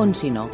On si no.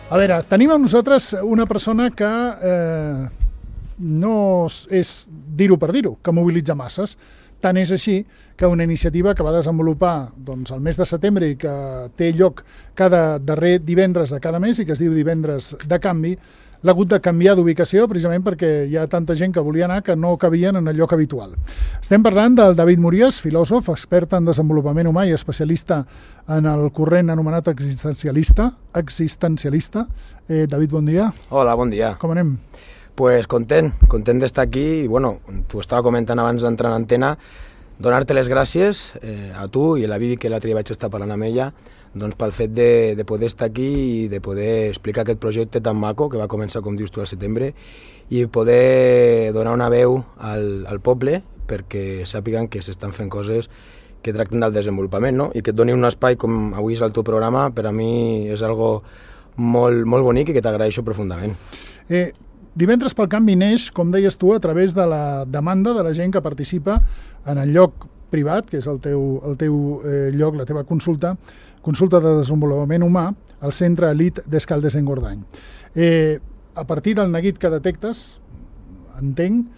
A veure, tenim amb nosaltres una persona que no és dir-ho per dir-ho, que mobilitza masses. Tant és així que una iniciativa que va desenvolupar el mes de setembre i que té lloc cada darrer divendres de cada mes i que es diu Divendres de Canvi, l'ha hagut de canviar d'ubicació precisament perquè hi ha tanta gent que volia anar que no cabien en el lloc habitual. Estem parlant del David Mories, filòsof, expert en desenvolupament humà i especialista en el corrent anomenat existencialista. David, bon dia. Hola, bon dia. Com anem? Pues content d'estar aquí i, bueno, t'ho estava comentant abans d'entrar en antena, donar-te les gràcies a tu i a la Vivi, que l'altre dia vaig estar parlant amb ella, doncs pel fet de poder estar aquí i de poder explicar aquest projecte tan maco que va començar, com dius tu, al setembre, i poder donar una veu al poble perquè sàpiguen que s'estan fent coses que tracten del desenvolupament, no? I que et doni un espai com avui és el teu programa, per a mi és algo molt, molt bonic i que t'agraeixo profundament. Divendres pel Canvi neix, com deies tu, a través de la demanda de la gent que participa en el lloc privat, que és el teu lloc, la teva consulta de desenvolupament humà, al Centre Elit d'Escaldes-Engordany. A partir del neguit que detectes, entenc,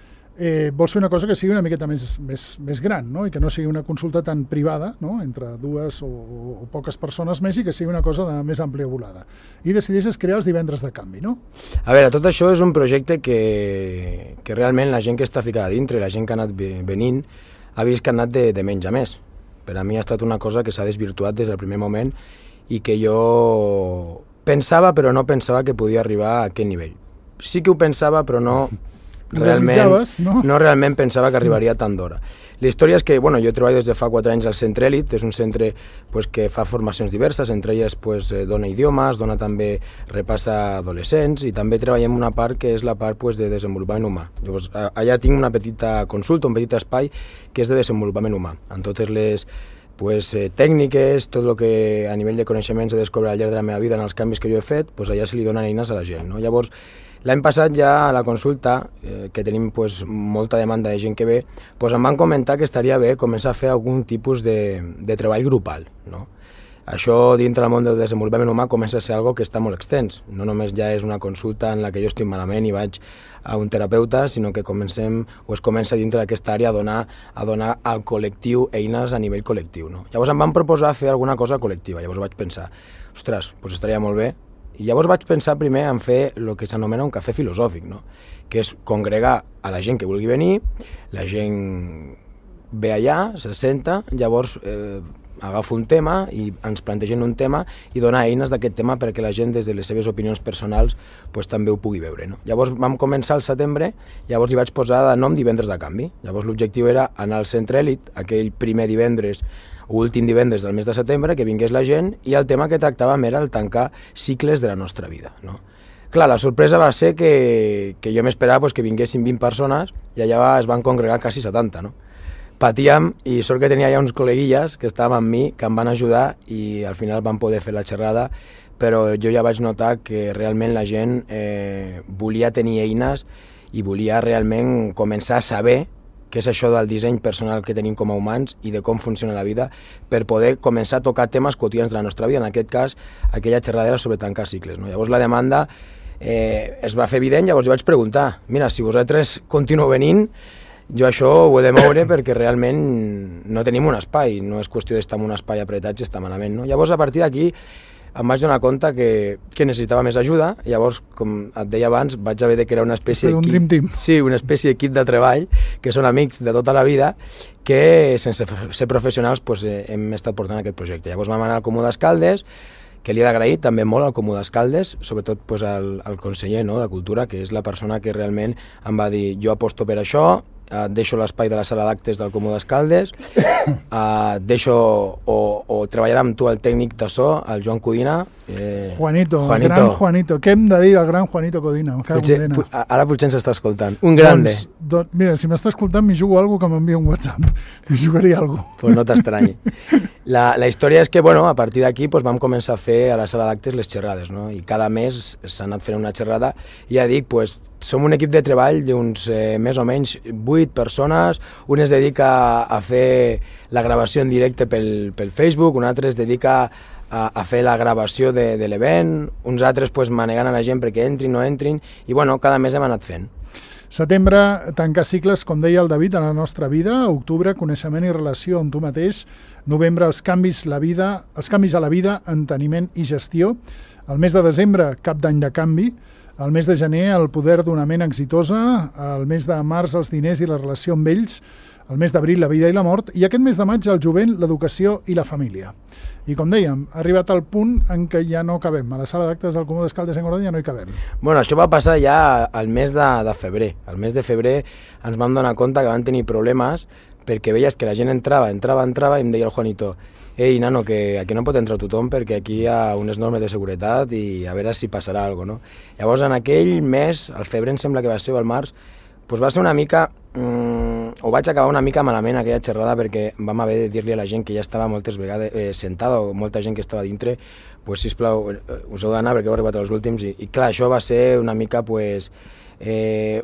vols fer una cosa que sigui una miqueta més gran, no? I que no sigui una consulta tan privada, no? Entre dues o poques persones més, i que sigui una cosa de més àmplia volada. I decideixes crear els Divendres de Canvi, no? A veure, tot això és un projecte que realment la gent que està ficada dintre, la gent que ha anat venint, ha vist que ha anat de menys a més. Per a mi ha estat una cosa que s'ha desvirtuat des del primer moment i que jo pensava, però no pensava que podia arribar a aquest nivell. Sí que ho pensava, però no realment pensava que arribaria tan d'hora. La història és que, bueno, jo treballo des de fa 4 anys al Centre Elit, és un centre que fa formacions diverses, entre elles dona idiomes, dona també repassa adolescents i també treballem una part que és la part de desenvolupament humà. Llavors, allà tinc una petita consulta, un petit espai que és de desenvolupament humà, amb totes les tècniques, tot el que a nivell de coneixements he descobert al llarg de la meva vida en els canvis que jo he fet, allà se li donen eines a la gent, no? Llavors, l'any passat ja a la consulta, que tenim molta demanda de gent que ve, em van comentar que estaria bé començar a fer algun tipus de treball grupal, no? Això dintre del món del desenvolupament humà comença a ser algo que està molt extens. No només ja és una consulta en la que jo estic malament i vaig a un terapeuta, sinó que es comença dintre d'aquesta àrea a donar al col·lectiu eines a nivell col·lectiu, no? Llavors em van proposar fer alguna cosa col·lectiva. Llavors vaig pensar, ostres, estaria molt bé. I llavors vaig pensar primer en fer el que s'anomena un cafè filosòfic, no? Que és congregar a la gent que vulgui venir, la gent ve allà, se senta, llavors agafa un tema i ens plantegen un tema i dona eines d'aquest tema perquè la gent des de les seves opinions personals també ho pugui veure, no? Llavors vam començar al setembre, llavors hi vaig posar de nom Divendres de Canvi. Llavors l'objectiu era anar al Centre Elit, aquell primer divendres o últim divendres del mes de setembre, que vingués la gent, i el tema que tractàvem era el tancar cicles de la nostra vida, no? Clar, la sorpresa va ser que jo m'esperava que vinguessin 20 persones i allà es van congregar quasi 70, no? Patíem i sort que tenia ja uns col·leguilles que estàvem amb mi, que em van ajudar i al final van poder fer la xerrada, però jo ja vaig notar que realment la gent volia tenir eines i volia realment començar a saber què és això del disseny personal que tenim com a humans i de com funciona la vida per poder començar a tocar temes quotidians de la nostra vida, en aquest cas aquella xerrada era sobre tancar cicles, no? Llavors la demanda es va fer evident, llavors jo vaig preguntar, mira, si vosaltres continueu venint, jo això ho he de moure perquè realment no tenim un espai, no és qüestió d'estar en un espai apretats i estar malament, no? Llavors a partir d'aquí em vaig donar compte que necessitava més ajuda, llavors, com et deia abans, vaig haver de crear una espècie d'equip. Un dream team. Sí, una espècie d'equip de treball, que són amics de tota la vida, que sense ser professionals hem estat portant aquest projecte. Llavors vam anar al Comú d'Escaldes, que li he d'agrair també molt al Comú d'Escaldes, sobretot al conseller, no, de Cultura, que és la persona que realment em va dir jo aposto per això, deixo l'espai de la sala d'actes del Comú d'Escaldes, deixo o treballarà amb tu el tècnic de so, el Joan Codina. Juanito, el gran Juanito. Què hem de dir al gran Juanito Codina? Ara potser ens està escoltant. Un grande. Mira, si m'està escoltant, m'hi jugo alguna cosa que m'envia un WhatsApp. M'hi jugaria alguna cosa. Pues no t'estranyi. La història és que, bueno, a partir d'aquí pues, vam començar a fer a la sala d'actes les xerrades, no? I cada mes s'ha anat fent una xerrada. I ja dic, pues, som un equip de treball d'uns més o menys 8 persones. Un es dedica a fer la gravació en directe pel Facebook, un altre es dedica a fer la gravació de l'event, uns altres pues, manegant a la gent perquè entrin, no entrin, i bueno, cada mes hem anat fent. Setembre, tancar cicles, com deia el David, en la nostra vida. Octubre, coneixement i relació amb tu mateix. Novembre, els canvis a la vida, enteniment i gestió. El mes de desembre, cap d'any de canvi. El mes de gener, el poder d'una ment exitosa. El mes de març, els diners i la relació amb ells. El mes d'abril, la vida i la mort. I aquest mes de maig, el jovent, l'educació i la família. I com dèiem, ha arribat al punt en què ja no cabem. A la sala d'actes del Comú d'Escaldes en Gordany ja no hi cabem. Bueno, això va passar ja al mes de febrer. Al mes de febrer ens vam donar compte que van tenir problemes perquè veies que la gent entrava i em deia el Juanito: ei, nano, que aquí no pot entrar tothom perquè aquí hi ha unes normes de seguretat i a veure si passarà alguna cosa, no? Llavors, en aquell mes, al febrer em sembla que va ser, o al març, doncs va ser una mica, o vaig acabar una mica malament aquella xerrada perquè vam haver de dir-li a la gent que ja estava moltes vegades sentada, o molta gent que estava dintre, pues, sisplau, us heu d'anar perquè heu arribat als últims, i clar, això va ser una mica pues,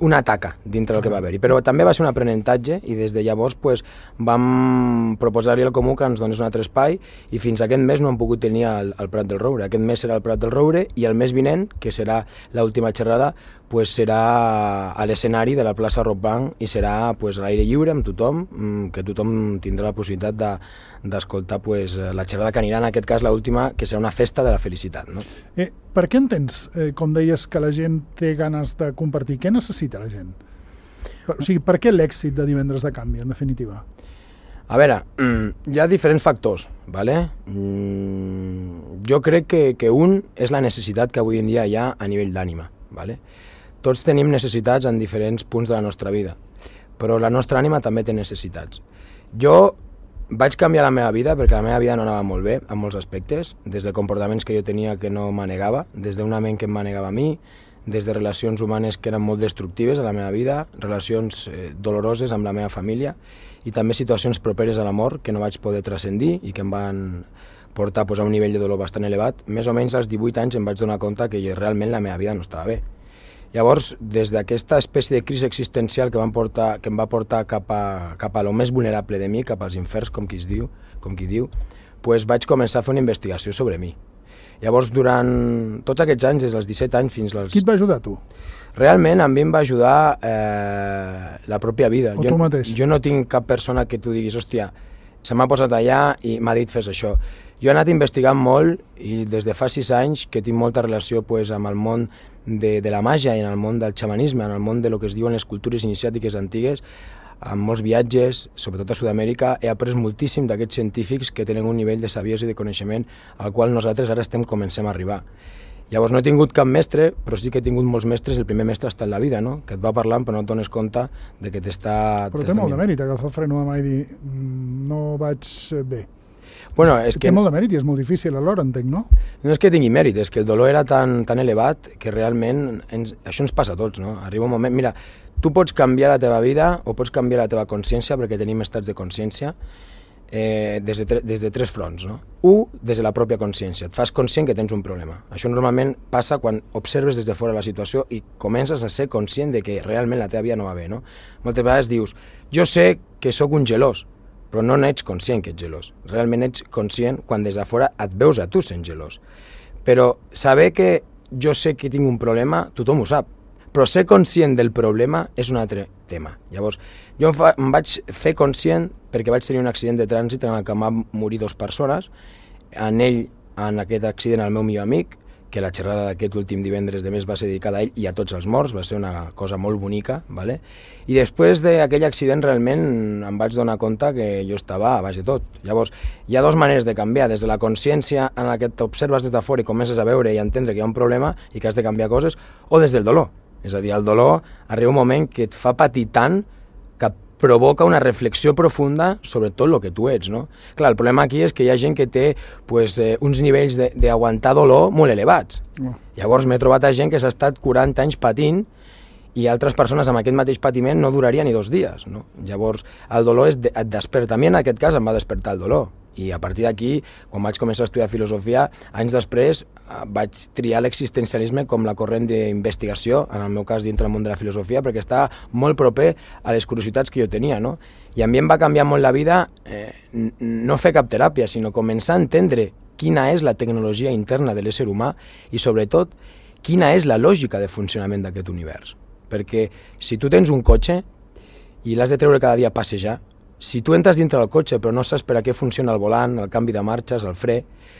una taca dintre del que va haver-hi, però també va ser un aprenentatge i des de llavors pues, vam proposar-li al Comú que ens donés un altre espai i fins aquest mes no hem pogut tenir el Prat del Roure. Aquest mes serà el Prat del Roure i el mes vinent, que serà l'última xerrada, pues serà a l'escenari de la plaça Rockbank i serà pues, a l'aire lliure amb tothom, que tothom tindrà la possibilitat d'escoltar pues, la xerrada que anirà, en aquest cas l'última, que serà una festa de la felicitat. No? Per què entens, com deies, que la gent té ganes de compartir? Què necessita la gent? O sigui, per què l'èxit de Divendres de Canvi, en definitiva? A veure, hi ha diferents factors, ¿vale? Jo crec que un és la necessitat que avui en dia hi ha a nivell d'ànima, ¿vale? Tots tenim necessitats en diferents punts de la nostra vida, però la nostra ànima també té necessitats. Jo vaig canviar la meva vida perquè la meva vida no anava molt bé en molts aspectes, des de comportaments que jo tenia que no manegava, des d'una ment que em manegava a mi, des de relacions humanes que eren molt destructives a la meva vida, relacions doloroses amb la meva família i també situacions properes a la mort que no vaig poder transcendir i que em van portar pues, a un nivell de dolor bastant elevat. Més o menys als 18 anys em vaig donar compte que realment la meva vida no estava bé. Llavors, des d'aquesta espècie de crisi existencial que em va portar cap a lo més vulnerable de mi, cap als inferns, com qui diu, pues vaig començar a fer una investigació sobre mi. Llavors, durant tots aquests anys, des dels 17 anys fins als... Qui et va ajudar, tu? Realment, a mi em va ajudar la pròpia vida. O tu mateix? Jo no tinc cap persona que tu diguis, hòstia, se m'ha posat allà i m'ha dit fes això. Jo he anat investigant molt i des de fa 6 anys que tinc molta relació pues, amb el món de la màgia i en el món del xamanisme, en el món de lo que es diuen les cultures iniciàtiques antigues, amb molts viatges, sobretot a Sud-amèrica, he après moltíssim d'aquests científics que tenen un nivell de saviesa i de coneixement al qual nosaltres ara comencem a arribar. Llavors no he tingut cap mestre, però sí que he tingut molts mestres. El primer mestre està en la vida, no? Que et va parlant però no et dones compte de que t'està... Però té molt de mèrit agafar el freno de mà i dir no vaig bé. Bueno, és que... Té molt de mèrit i és molt difícil alhora, entenc, no? No és que tingui mèrit, és que el dolor era tan elevat que realment això ens passa a tots, no? Arriba un moment... Mira, tu pots canviar la teva vida o pots canviar la teva consciència, perquè tenim estats de consciència, des de 3 fronts, no? 1, des de la pròpia consciència. Et fas conscient que tens un problema. Això normalment passa quan observes des de fora la situació i comences a ser conscient de que realment la teva vida no va bé, no? Moltes vegades dius, jo sé que sóc un gelós, però no n'ets conscient que ets gelós. Realment ets conscient quan des de fora et veus a tu sent gelós. Però saber que jo sé que tinc un problema, tothom ho sap. Però ser conscient del problema és un altre tema. Llavors, jo em vaig fer conscient perquè vaig tenir un accident de trànsit en el que van morir 2 persones. En aquest accident, el meu millor amic, que la xerrada d'aquest últim divendres de mes va ser dedicada a ell i a tots els morts, va ser una cosa molt bonica, ¿vale? I després d'aquell accident realment em vaig donar compte que jo estava a baix de tot. Llavors, hi ha 2 maneres de canviar, des de la consciència en la que t'observes des de fora i comences a veure i a entendre que hi ha un problema i que has de canviar coses, o des del dolor. És a dir, el dolor arriba un moment que et fa patir tant que et provoca una reflexió profunda sobre tot el que tu ets, no? Clar, el problema aquí és que hi ha gent que té pues, uns nivells d'aguantar dolor molt elevats. Llavors m'he trobat a gent que s'ha estat 40 anys patint i altres persones amb aquest mateix patiment no duraria ni 2 dies, no? Llavors, el dolor et desperta. A mi en aquest cas em va despertar el dolor. I a partir d'aquí, quan vaig començar a estudiar filosofia, anys després vaig triar l'existencialisme com la corrent d'investigació, en el meu cas dintre del món de la filosofia, perquè estava molt proper a les curiositats que jo tenia, no? I a mi em va canviar molt la vida no fer cap teràpia, sinó començar a entendre quina és la tecnologia interna de l'ésser humà i, sobretot, quina és la lògica de funcionament d'aquest univers. Perquè si tu tens un cotxe i l'has de treure cada dia a passejar, si tu entres dintre del cotxe però no saps per a què funciona el volant, el canvi de marxes, el fre,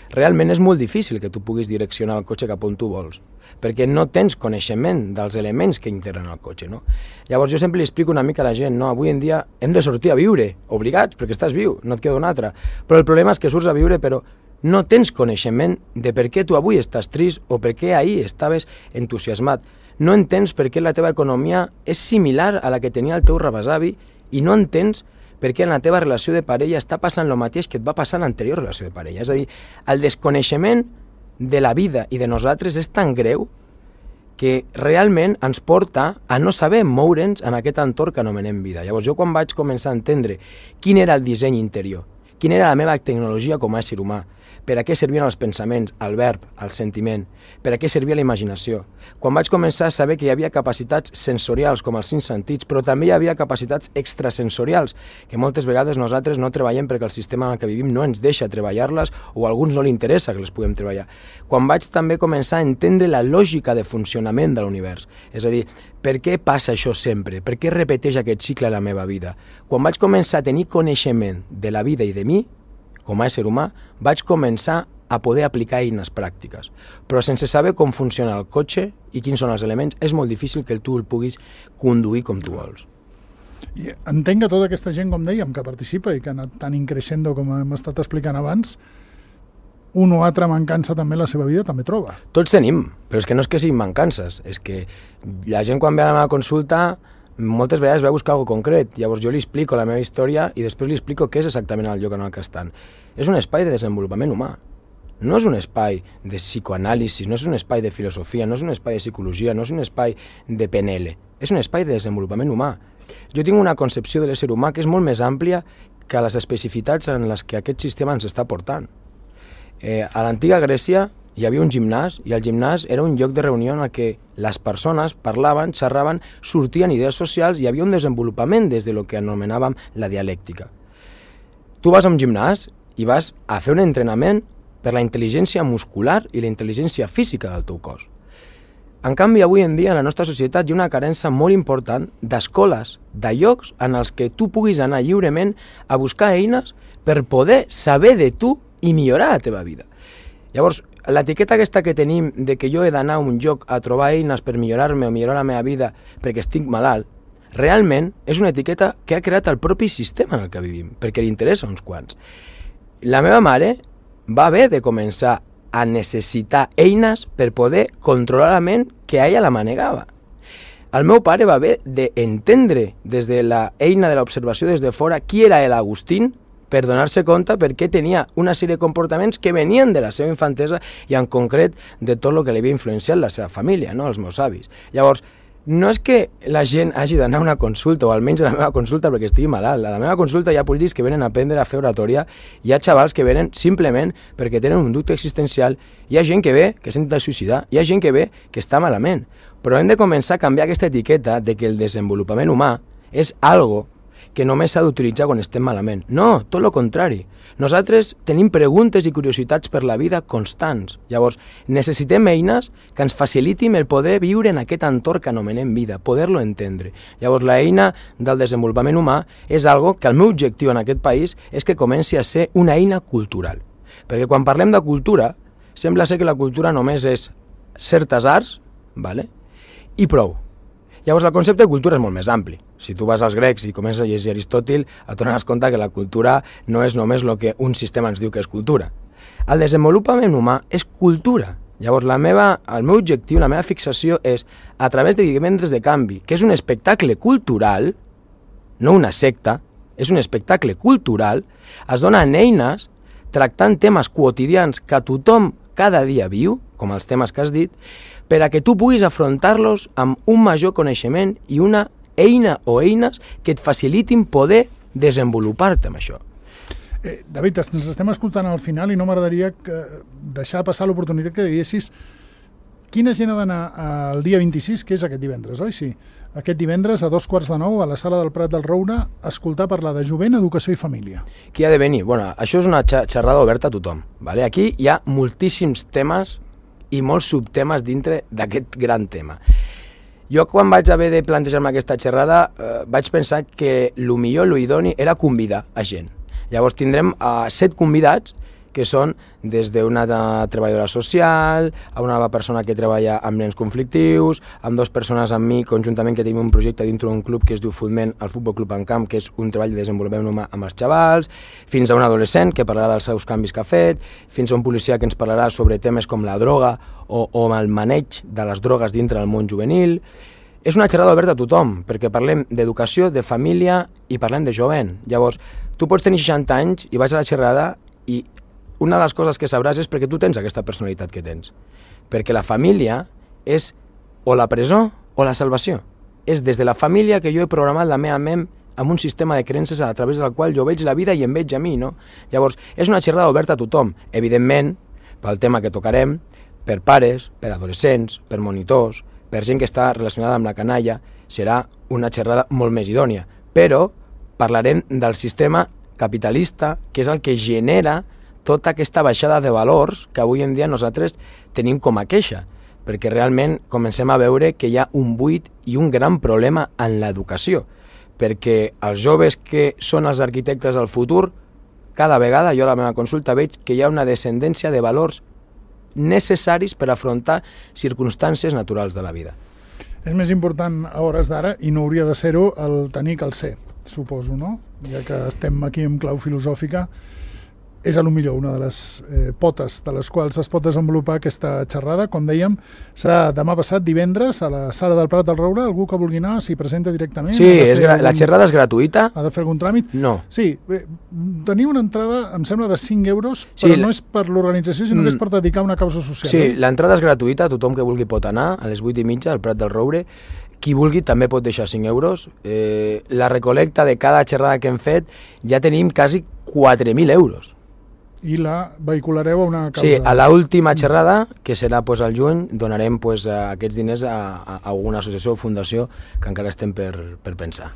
realment és molt difícil que tu puguis direccionar el cotxe cap on tu vols, perquè no tens coneixement dels elements que integren el cotxe, no? Llavors jo sempre li explico una mica a la gent, no? Avui en dia hem de sortir a viure, obligats, perquè estàs viu, no et queda una altra, però el problema és que surts a viure però no tens coneixement de per què tu avui estàs trist o per què ahir estaves entusiasmat. No entens per què la teva economia és similar a la que tenia el teu rebesavi i no entens per què en la teva relació de parella està passant el mateix que et va passar en l'anterior relació de parella. És a dir, el desconeixement de la vida i de nosaltres és tan greu que realment ens porta a no saber moure'ns en aquest entorn que anomenem vida. Llavors jo quan vaig començar a entendre quin era el disseny interior, quina era la meva tecnologia com a ésser humà, per a què servien els pensaments, el verb, el sentiment, per a què servia la imaginació. Quan vaig començar a saber que hi havia capacitats sensorials com els 5 sentits, però també hi havia capacitats extrasensorials, que moltes vegades nosaltres no treballem perquè el sistema en el que vivim no ens deixa treballar-les o a alguns no li interessa que les puguem treballar. Quan vaig també començar a entendre la lògica de funcionament de l'univers, és a dir, per què passa això sempre? Per què repeteix aquest cicle a la meva vida? Quan vaig començar a tenir coneixement de la vida i de mi, com a ésser humà, vaig començar a poder aplicar eines pràctiques. Però sense saber com funciona el cotxe i quins són els elements, és molt difícil que tu el puguis conduir com tu vols. I entenc que tota aquesta gent, com dèiem, que participa i que ha anat tan increixendo com hem estat explicant abans, un o altra mancança també la seva vida també troba. Tots tenim, però és que no és que siguin mancances, és que la gent quan ve a la meva consulta moltes vegades va buscar alguna concret, llavors jo li explico la meva història i després li explico què és exactament el lloc en el que estan. És un espai de desenvolupament humà, no és un espai de psicoanàlisi, no és un espai de filosofia, no és un espai de psicologia, no és un espai de PNL, és un espai de desenvolupament humà. Jo tinc una concepció de l'ésser humà que és molt més àmplia que les especificitats en les que aquest sistema ens està portant. A l'antiga Grècia hi havia un gimnàs i el gimnàs era un lloc de reunió en el que les persones parlaven, xerraven, sortien idees socials i hi havia un desenvolupament des de lo que anomenàvem la dialèctica. Tu vas a un gimnàs i vas a fer un entrenament per la intel·ligència muscular i la intel·ligència física del teu cos. En canvi, avui en dia, en la nostra societat hi ha una carència molt important d'escoles, de llocs en els que tu puguis anar lliurement a buscar eines per poder saber de tu i millorar la teva vida. Llavors, l'etiqueta aquesta que tenim de que jo he d'anar a un lloc a trobar eines per millorar-me o millorar la meva vida perquè estic malalt, realment és una etiqueta que ha creat el propi sistema en el que vivim, perquè li interessa a uns quants. La meva mare va haver de començar a necessitar eines per poder controlar la ment que a ella la manegava. El meu pare va haver d'entendre des de la eina de l'observació des de fora qui era l'Agustín per donar-se compte perquè tenia una sèrie de comportaments que venien de la seva infantesa i en concret de tot el que li havia influenciat la seva família, no? Els meus avis. Llavors, no és que la gent hagi d'anar a una consulta, o almenys a la meva consulta perquè estigui malalt. A la meva consulta hi ha polítics que venen a aprendre a fer oratòria, hi ha xavals que venen simplement perquè tenen un dubte existencial, hi ha gent que ve que s'intenta suïcidar, hi ha gent que ve que està malament. Però hem de començar a canviar aquesta etiqueta de que el desenvolupament humà és algo que només s'ha d'utilitzar quan estem malament. No, tot el contrari. Nosaltres tenim preguntes i curiositats per la vida constants. Llavors, necessitem eines que ens facilitin el poder viure en aquest entorn que anomenem vida, poder-lo entendre. Llavors, l'eina del desenvolupament humà és algo que el meu objectiu en aquest país és que comenci a ser una eina cultural. Perquè quan parlem de cultura, sembla ser que la cultura només és certes arts, vale? I prou. Llavors, el concepte de cultura és molt més ampli. Si tu vas als grecs i comences a llegir Aristòtil, et donaràs compte que la cultura no és només el que un sistema ens diu que és cultura. El desenvolupament humà és cultura. Llavors, el meu objectiu, la meva fixació és, a través de Divendres de Canvi, que és un espectacle cultural, no una secta, és un espectacle cultural, es donen eines tractant temes quotidians que tothom cada dia viu, com els temes que has dit, per a que tu puguis afrontar-los amb un major coneixement i una eina o eines que et facilitin poder desenvolupar-te amb això. David, ens estem escoltant al final i no m'agradaria deixar passar l'oportunitat que diguessis quina gent ha d'anar el dia 26, que és aquest divendres, oi? Sí. Aquest divendres a 2:15 a la Sala del Prat del Roure a escoltar parlar de jovent, educació i família. Qui ha de venir? Bueno, això és una xerrada oberta a tothom. Vale? Aquí hi ha moltíssims temes i molts subtemes dintre d'aquest gran tema. Jo quan vaig haver de plantejar-me aquesta xerrada vaig pensar que el millor, el idoni, era convidar a gent. Llavors tindrem 7 convidats que són des d'una treballadora social, a una persona que treballa amb nens conflictius, amb 2 persones amb mi conjuntament que tenim un projecte dintre d'un club que es diu Footmen, el Futbol Club en Camp, que és un treball de desenvolupament humà amb els xavals, fins a un adolescent que parlarà dels seus canvis que ha fet, fins a un policia que ens parlarà sobre temes com la droga o el maneig de les drogues dintre del món juvenil. És una xerrada oberta a tothom, perquè parlem d'educació, de família i parlem de jovent. Llavors, tu pots tenir 60 anys i vas a la xerrada i una de les coses que sabràs és perquè tu tens aquesta personalitat que tens. Perquè la família és o la presó o la salvació. És des de la família que jo he programat la meva ment amb un sistema de creences a través del qual jo veig la vida i em veig a mi, no? Llavors, és una xerrada oberta a tothom. Evidentment, pel tema que tocarem, per pares, per adolescents, per monitors, per gent que està relacionada amb la canalla, serà una xerrada molt més idònia. Però parlarem del sistema capitalista, que és el que genera tota aquesta baixada de valors que avui en dia nosaltres tenim com a queixa, perquè realment comencem a veure que hi ha un buit i un gran problema en l'educació, perquè els joves que són els arquitectes del futur, cada vegada jo a la meva consulta veig que hi ha una descendència de valors necessaris per afrontar circumstàncies naturals de la vida. És més important a hores d'ara, i no hauria de ser-ho, el tenir que el ser, suposo, no? Ja que estem aquí en clau filosòfica, és a lo millor una de les potes de les quals es pot desenvolupar aquesta xerrada. Com dèiem, serà demà passat, divendres, a la Sala del Prat del Roure. Algú que vulgui anar s'hi presenta directament? Sí, la xerrada és gratuïta. Ha de fer algun tràmit? No. Sí, teniu una entrada, em sembla, de 5 euros, però no és per l'organització, sinó que és per dedicar una causa social. Sí, l'entrada és gratuïta, tothom que vulgui pot anar, a les 8:30 al Prat del Roure. Qui vulgui també pot deixar 5 euros. La recolecta de cada xerrada que hem fet ja tenim quasi 4.000 euros. I la vehiculareu a una causa. Sí, a l'última xerrada, que serà al juny, donarem aquests diners a alguna associació o fundació que encara estem per pensar.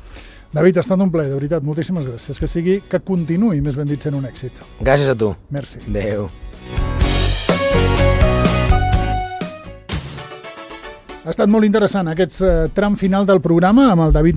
David, ha estat un plaer, de veritat, moltíssimes gràcies. Que continuï, més ben dit, sent un èxit. Gràcies a tu. Merci. Adéu. Ha estat molt interessant aquest tram final del programa amb el David